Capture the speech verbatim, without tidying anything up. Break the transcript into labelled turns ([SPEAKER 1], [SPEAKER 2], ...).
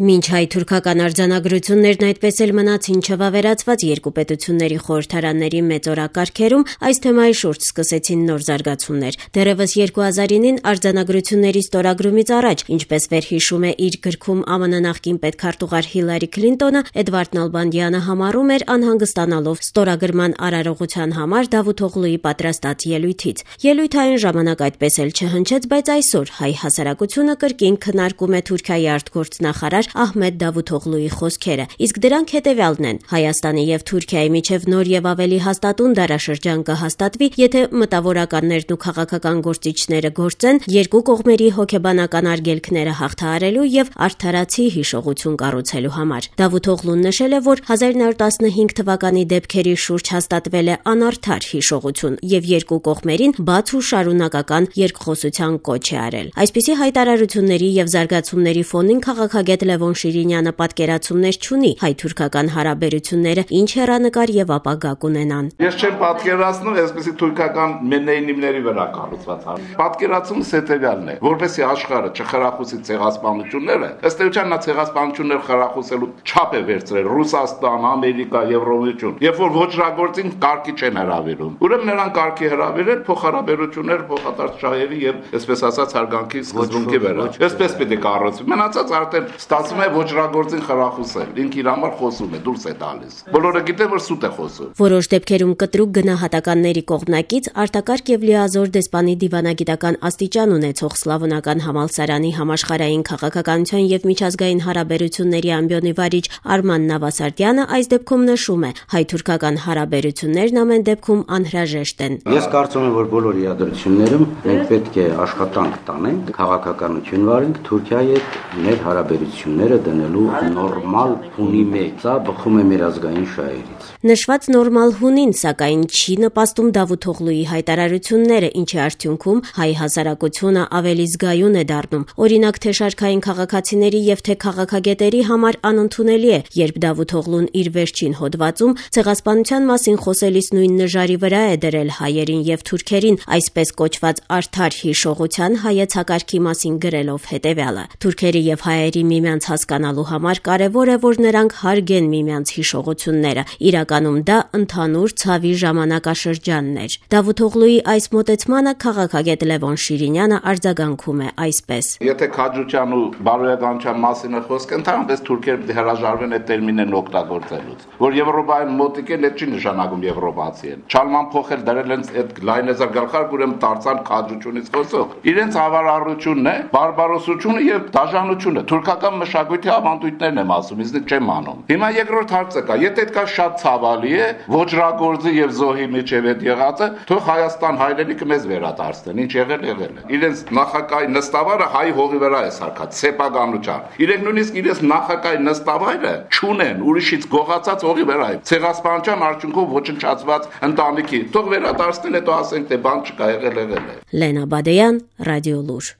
[SPEAKER 1] Մինչ հայ-թուրքական արձանագրություններն այդպես էլ մնացին չվավերացված երկու պետությունների խորհրդարանների մեծ օրակարգերում, այս թեմայի շուրջ սկսեցին նոր զարգացումներ։ Դեռևս երկու հազար ինին արձանագրությունների ստորագրումից առաջ, ինչպես վերհիշում է իր գրքում ԱՄՆ նախկին պետքարտուղար Հիլարի Քլինտոնը, Էդվարդ Նալբանդյանը համարում էր անհանգստանալով ստորագրման արարողության համար Դավութ Օղլուի պատրաստած ելույթից։ Ելույթը այն ժամանակ այդպես էլ չհնչեց, բայց այսօր հայ հասարակությունը կրկին քննարկում է Թուրքիայի արտգործնախարար Ահմեդ Դավութօղլուի խոսքերը, իսկ դրանք հետևյալն են. Հայաստանի եւ Թուրքիայի միջև նոր եւ ավելի հաստատուն դարաշրջան կհաստատվի, եթե մտավորականներն ու քաղաքական գործիչները գործեն երկու կողմերի հոգեբանական արգելքները հաղթահարելու եւ արդարացի հիշողություն կառուցելու համար։ Դավութօղլուն նշել է, որ հազար նոյ հարյուր տասնհինգ թվականի դեպքերի շուրջ հաստատվել է անարդար հիշողություն եւ երկու կողմերին բաց ու շարունակական երկխոսության կոչ է արել։ Այսպիսի հայտարարությունների եւ զարգացումների ֆոնին քաղաքագետ Լևոն Շիրինյանը պատկերացումներ չունի հայ-թուրքական հարաբերությունները ինչ հեռանկար եւ ապագա կունենան։
[SPEAKER 2] Ես չեմ պատկերացնում այսպիսի թուրքական մենեյնիմների վրա կառուցված հարաբերություններ։ Պատկերացումս հետեւյալն է, որովհետեւ աշխարհը չխրախուսի ցեղասպանությունները, ըստ էության նա ցեղասպանություններ խրախուսելու չափ է վերցրել Ռուսաստան, Ամերիկա, Եվրոմիություն, երբ որ ոչրագործին կարգի չեն հրավիրում։ Ուրեմն նրանք կարգի հրավիրել փոխհարաբերություններ փոխադարձ շահերի եւ այսպես ասած հարգանքի սկզբունքի վրա։ Այսպես պետք է կառուցվի։ Մնացած արդեն ստացվում է ոչրագործին խրախուսել։ Ինք իր համար խոսում է, դուրս է տալիս։ Բոլորը գիտեն, որ սուտ է խոսում։
[SPEAKER 1] Որոշ դեպքերում կտրուկ գնահատականների կողմնակից արտակարգ եւ լիազոր դեսպանի դիվանագիտական աստիճան ունեցող Սլավոնական համալսարանի համաշխարհային քաղաքականության եւ միջազգային հարաբերությունների ամբիոնի վարիչ Արման Նավասարդյանը այս դեպքում նշում է. հայ-թուրքական հարաբերություններն ամեն դեպքում անհրաժեշտ են։
[SPEAKER 3] Ես կարծում եմ, որ բոլոր իրադարձություններում մենք պետք է աշխատանք տանենք, քաղաքականություն վարենք Թուրքիայի հետ մեր հարաբերությունները դնելու նորմալ հունի մեջ։ Սա բխում է մեր ազգային շահերից։
[SPEAKER 1] Նշված նորմալ հունին, սակայն չի նպաստում Դավութօղլուի հայտարարությունները, ինչի արդյունքում հայ հասարակությունը ավելի զգայուն է դառնում։ Օրինակ, թե շարքային քաղաքացիների եւ թե քաղաքագետերի համար անընդունելի է, երբ Դավութօղլուն իր վերջին հոդվածում ցեղասպանության մասին խոսելիս նույն նժարի վրա է դրել հայերին եւ թուրքերին, այսպես կոչված արդար հիշողության հայեցակարգի մասին գրելով հետեւյալը. Թուրքերի եւ հայերի միմյանց հասկանալու համար կարեւոր է, որ նրանք հարգեն միմյանց հիշողությունները։ Իրականում դա ընդհանուր ցավի ժամանակաշրջանն էր։ Դավութօղլուի այս մոտեցմանը քաղաքագետ Լևոն Շիրինյանը արձագանքում է այսպես.
[SPEAKER 2] Եթե քաջության ու բարոյականության մասին է խոսքը, ընդհանրապես թուրքերը հրաժարվեն այդ տերմինն օգտագործելուց, որ Եվրոպայում մոտիկ են, դա չի նշանակում եվրոպացի են։ Չալման փոխել դրել են այդ լայնեզր գլխարկ, ուրեմն դարձան քաջությունից խոսող։ Իրենց հավարարությունն է, բարբարոսությունը եւ դաժանությունը։ Թուրքական մշակույթի ավանդույթներն եմ ասում, իսկ չեմ անում։ Հիմա երկրորդ հարցը կա, եթե դա շատ ցավալի է, ոչրագործի եւ զոհի միջև այդ եղածը, թող Հայաստան հայրենիքը մեզ վերադարձնեն, ինչ եղել եղել է։ Իրենց նախակայ նստավարը հայ հողի վրա է սարքած, սեփականությամբ։ Իրենք նույնիսկ իրենց նախակայ նստավայրը չունեն, ուրիշից գողացած հողի վրա է։ Ցեղասպանության արդյունքով ոչնչացված ընտանիքի, թող վերադարձնեն, հետո ասենք թե բան չկա, եղել եղել է։
[SPEAKER 1] Լենա Բադեյան, Ռադիո Լուր։